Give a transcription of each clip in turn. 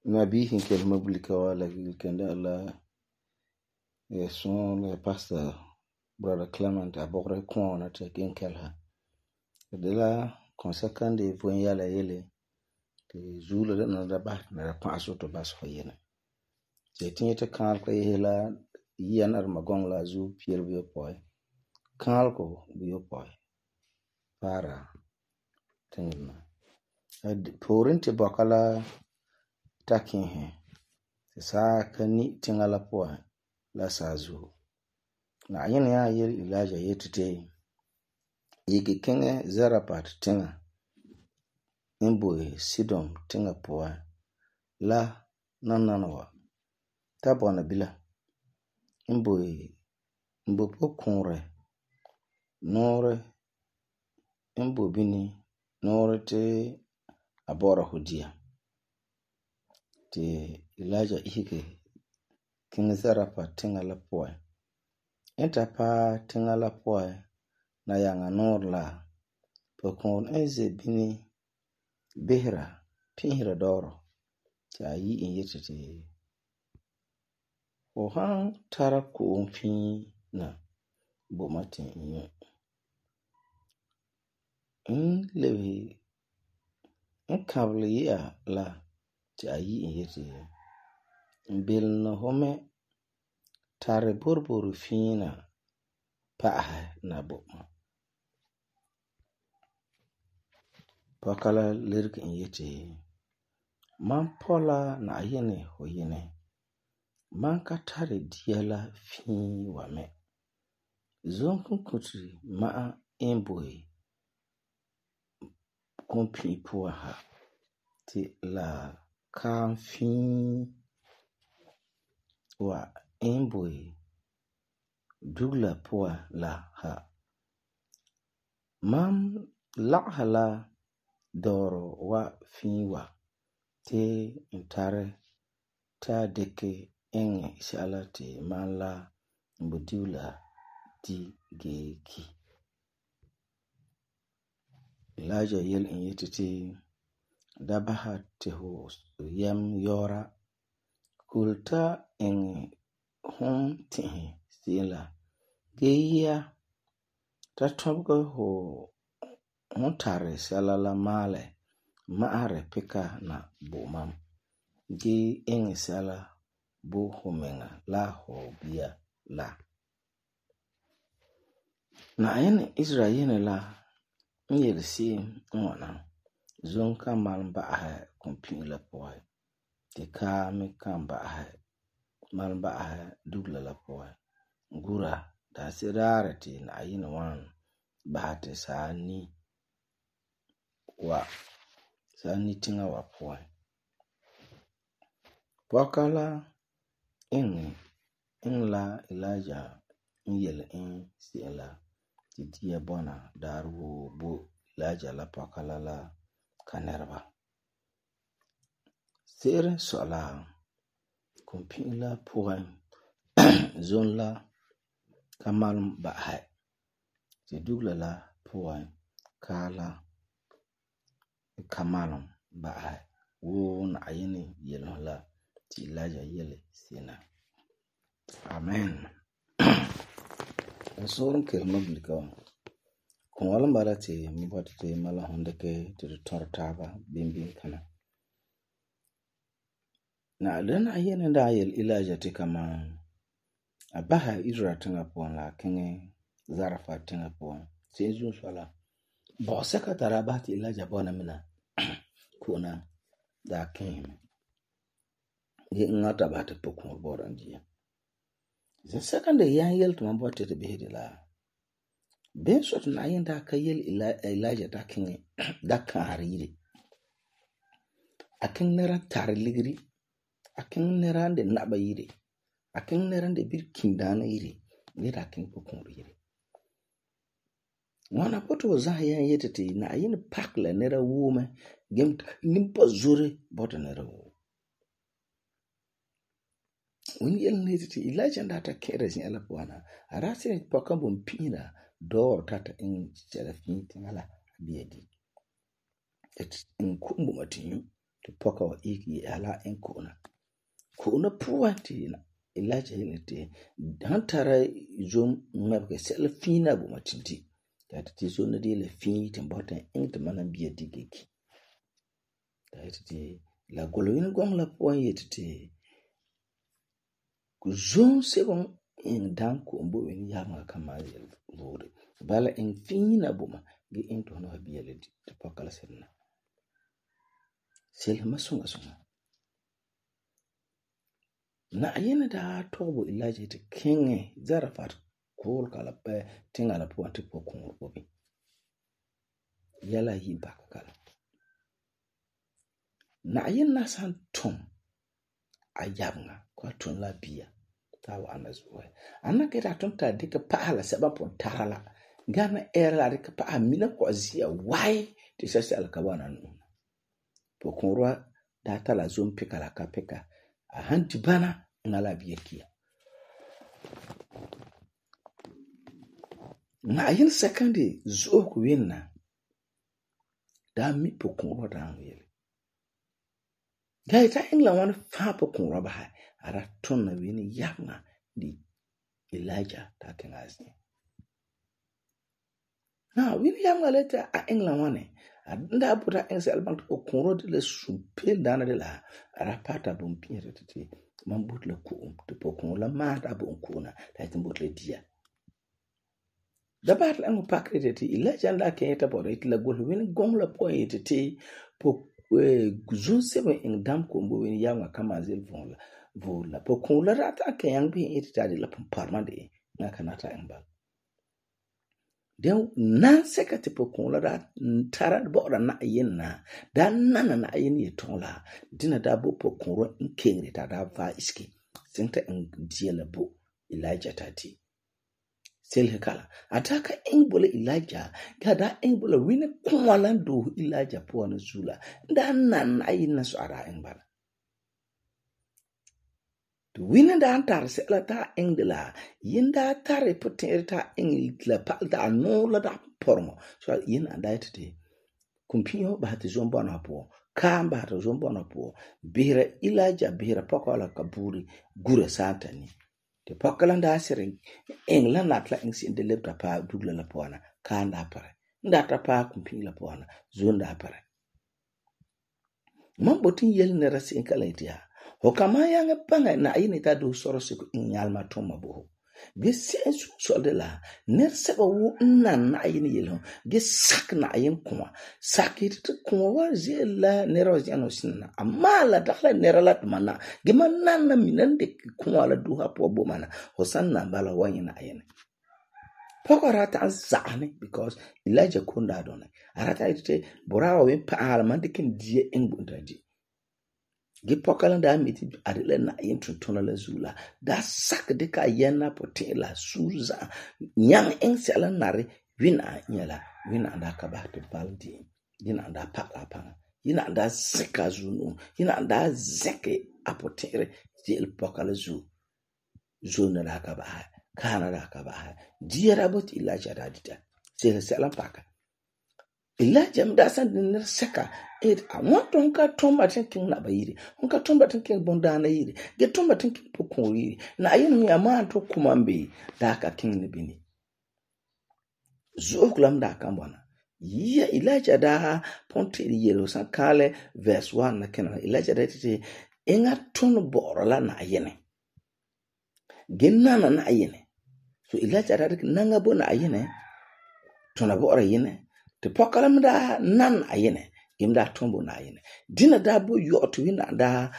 Nabihin kelma bulika wa la kenda la son la pastor brother Clement a bogre kɔɔna ta gen kelha. De la konsakande von yala yele te zula de na da ba na da paso to bas fa yene. Te tinye te kan ko yela yan ar magong la zu pier bi poi. Kan ko bi poi. Para tingna. Porin te bakala takin he saa ka ni tinga la po la sazu na yin ya yel Elijah yetete yige kenge Zarephath tinga imboe Sidon tinga po la nananawa ta bona bila imboe mbo pokunre nore imbo bini nore te abora hudia te Elijah ihike king Zarephath tinga la poe. Enta pa tinga la poe na yanga nor la pokon eze bini behra pinhira doro te ayi in yetete o han tara ko fin na bo matin inyo in lewi in kable ya la te ayi in yetete bil no home tare borboro fina paaha na boma. Pakala lirk in yete man pola na ayene ho yene man ka tare diala fin wa me zonkun kutri ma emboy kompi po ha ti la kan fin wa emboy dugla po la ha mam lakhala doro wa fin wa te intare ta deke enge shala te man la mbudula di geki. Elijah yel in yetete dabaha te ho yam yora kulta enge hon tihi sila geya ta tobgo ho hon tare sala la male maare pika na bomam ge enge sala bo homenga la ho bia la na ene Israel la nyel si ngona zon ka malba ha kompi la poe te ka me kamba ha malba ha dugla la poe gura da sirare te na ayina wan bahate sani tinga wa poe wakala in la Elijah nyel in sila ti dia bona daru bo Elijah la pakala la kanerba sere sola kompi la poe zon la kamal ba hai ti dugla la poe kala kamalum ba hai wo na ayini yelo la ti Elijah yele sina. Amen. Sorum kelma bulika kon wala mbala te mbota te mala hondeke te tortaba bimbim kana na lena ayene da yel Elijah te kama abaha Israel tinga pon la kenge Zarephath tinga pon se zu sala bo sekatara ba ti Elijah bona mina kuna da kin ye ngata ba te pokon boran dia the second day yan yel to mbota te behede la Ben sort na yin da ka yel Elijah da king da kan yire. Akin nera tar ligri. Akin nera de naba yire. Akin nera de bir kindana yire. Ni da king ko kon yire. Wana poto za yan yetete na yin pak la nera wome gem nimpa zore bota nera wo. When yel netete Elijah da ta kere sin ala bwana. Arase poka bom pina do tata in serafin tingala biedi. Et in kumbu matinyu to poka wa iki ala in kona. Kona puwanti Elijah yelete hantara zom ngabke selafina bu matinti. Tati so na de le fin timbota in te mana biedi geki. Tati la goloyin gong la puwan yetete zon sebon in danko mbo wen yama kama vore. Bala in fina buma ge in to no biele te pokala senna. Selma sunga sunga. Na ayena da tobo Elijah te kenge Zarafat kol kala pe tinga la puante po kongo bobi. Yala yi baka kala. Na ayena san tom ayabnga kwa ton la biya. Tawa anazuwe. Anna keta ton ta dika pahala seba pon tarala. Gana era dika paha mina kwa zia wai ti sasa alkabana nuna. Po konroa data la zon peka la kapeka. Ahanti bana ngala biya kia. Na ayin sekandi zo kuwina. Da mi po konroa da angwele. Gaita ingla wana fa po konroa baha. Ara ton na wini yabna di Elijah ta kengazi. Na wini yabna leta a engla wane. Nda puta engse albant ko konro de le supel dana de la. Ara pata bumpire tete. Mambut le kuum. Te po konro la mata bunkuna. Ta itimbut le dia. Da bat la ngu pakre tete. Elijah nda kenyeta bora iti la gulu wini gong la po yetete. Po guzun sebe ing dam kumbo wini yabna kama zil vonla. Vola po kon la rata ke yang bi itadi la parmande na kanata embal den nan sekati po kon la rat tara bo na yenna dan nana na yen ye tonla dina da bo po kon ro in kengre ta da va iski senta en diela bo Elijah tati sel kala ataka en bole Elijah gada en bole wini kwalando Elijah po na zula dan nan ayin na so ara embal wina da antar se la ta engla yinda tare potenta engla palda no la da pormo so yin anda tete kumpio ba te zomba na po kamba to zomba na po bira Elijah bira pokola kaburi gure satani te pokala nda sere engla na tla engsi de lepta pa dugla la pona kanda pare nda ta pa kumpi la pona zonda pare mambotin yel ne rasi kala itia Hokama yang panga na ayini ta do soro siku inyalma toma bo. Ge sensu so de la ner seba wo na ayini yelo. Ge sak na ayin kuma. Sakit kuma wa zela nero jano sinna. Amala dakla neralat mana. Ge manana minande kuma la duha po bo mana. Hosanna bala wanyi na ayini. Poko rata zane because Elijah kunda adone. Arata ite borawa we pa almande ken die engbundaji. Ge pokala da miti adile na yintutona la zula da sak de ka yena potela suza nyang engsela nare wina nyala wina anda ka ba te baldi yina anda pala pana yina anda zeka zunu yina anda zeke apotere jil pokala zuna da ka ba kana da ka ba diera bot Elijah da dita sela paka Elijah mdasan din seka it awanto nka tomba tinking na bayiri nka tomba tinking bondana yiri ge tomba tinking pokon yiri na ayinu ya manto kumambe da ka king ne bini zokulam da kambana ya Elijah da ponte yelo san kale verse 1 na kenan Elijah da tete enga ton borola na ayene genana na ayene so Elijah da nanga bo na ayene tona bora yene te pokalam da nan ayene imda tombo na ayene dina da bo yoto wina da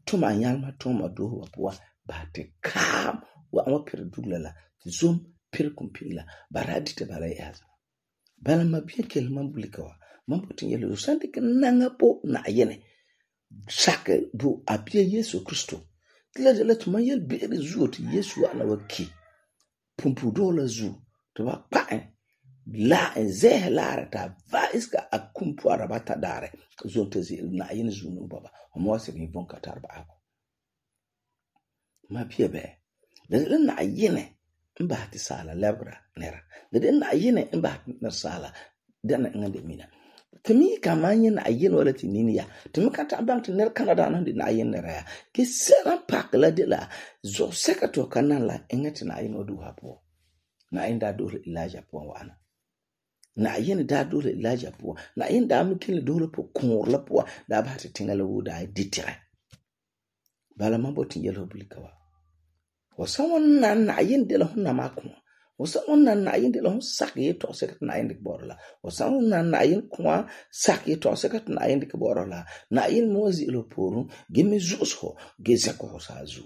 tuma nyalma toma do wa ba te kam wa amapir duglala zoom pere kumpila bara dita bala yaza bala ma bien kel man bulika wa man putin yelo sande ke nanga po na yene sake bu apia Yesu Kristo tila de la tuma yel beere zuo ti Yesu ana waki pumpu dola zu to ba pa la en zeh lara ta va iska akumpu arabata dare zonte zi na yene zu no baba mo se ni bon katar ba ako ma pia be de na yene mba ti sala lebra nera de na yene mba na sala dana ngande mina temi kamanye na yene wala ti nini ya temi kata bank ner Canada na de na yene ra ke sera pak la de la zo sekato kanala engati na yene odu hapo na inda dole ilaja po wana na yene da dole ilaja po na inda mikile dole po konor la po da ba ta tingala wuda ditire bala maboti yelo bulikawa wasawan na yene de la hunna makuma wasawan na yene de la hun sakye to sekat na yene borla wasawan na yene kwa sakye to sekat na yene borla na yene mozi lo poru gemi zuso gezako sazu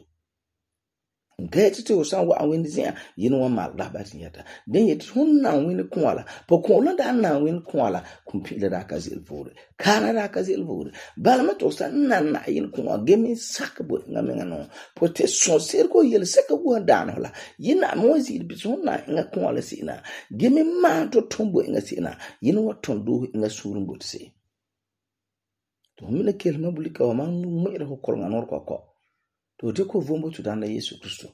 ngeti to san wa win zia yino wa mag da batin yata den yet hun na win kwala po ko la da na win kwala kumpile da ka zil vore kana da ka zil vore bala ma to san na yin kwa gemi sakbo ngame ngano po te so ser ko yel sakbo da no la yina mo zil bi so na nga kwala sina gemi ma to tombo nga sina yino wa tondo nga surun botse to mi le kelma bulika wa man mo ira ko kol nganor ko to te ko vombo tudana Yesu Kristo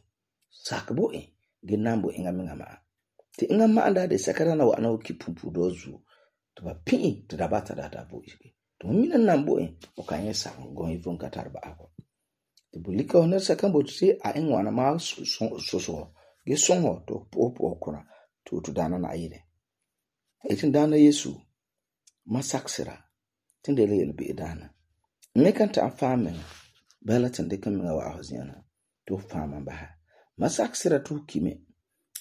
sakbo genambo ngama te ngama anda de sakara wa na okipumpu dozu to ba pin to da bata da bo ibe to mina nambo o kanye sang go ivon katar ba ako te bulika ona sakambo te a enwana ma so ge songo to popo okona to tudana na ayire etin dana Yesu masaksira tindele yelbe dana mekanta afamen balatin de kan wa ahozina to fama ba masaksira to kime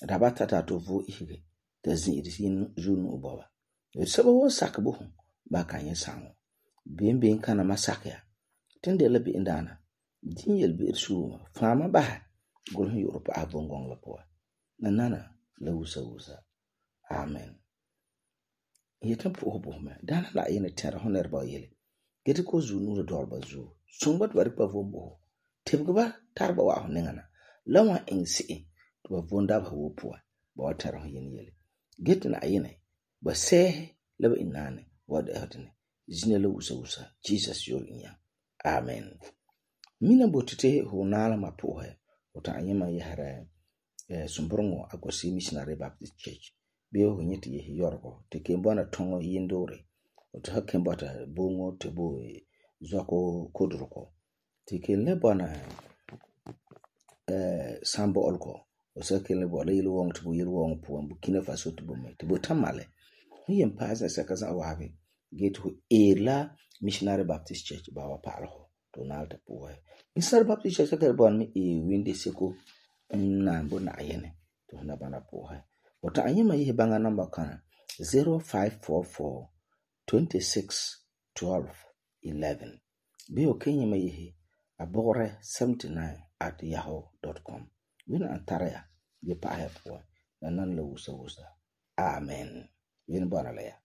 rabata ta to vo ihe da zin yin junu baba e sabo sakbo ba kan yin sango bembe kana masakya tinde labi indana din yelbi su fama ba gol Europe abongong la po nanana la wusa amen yetan po bo ma dana la yin ter honer ba yele geti ko zunu do dorba zu sumbat bari pa vombo tebgba tarba wa nengana lawa ensi to vonda ba wopo ba watara yin yele get na ayine ba se laba inane wada hatene zine la wusa Jesus yol inya amen mina botete honala mapohe ota anyema yahara sumbrongo agosi missionary Baptist Church be ho nyeti ye yorgo te kembona tongo yindore ota hakembata bongo te bo zako kodroko tikele bana sambo olko osakele bola yilu wong to yilu wong po Burkina Faso to bomme to botamale yem paza sakaza wabe getu ela missionary Baptist Church ba wa palo to nalta po missionary Baptist Church ka bon mi winde seko na mbona ayene to na bana po wata anyema yi banga number kana 0544 26 12 11 Bio Kenya mayihi abore 79@yahoo.com. Wina antaraya ye pa hapo na nan la wusa. Amen. Wina bana la ya.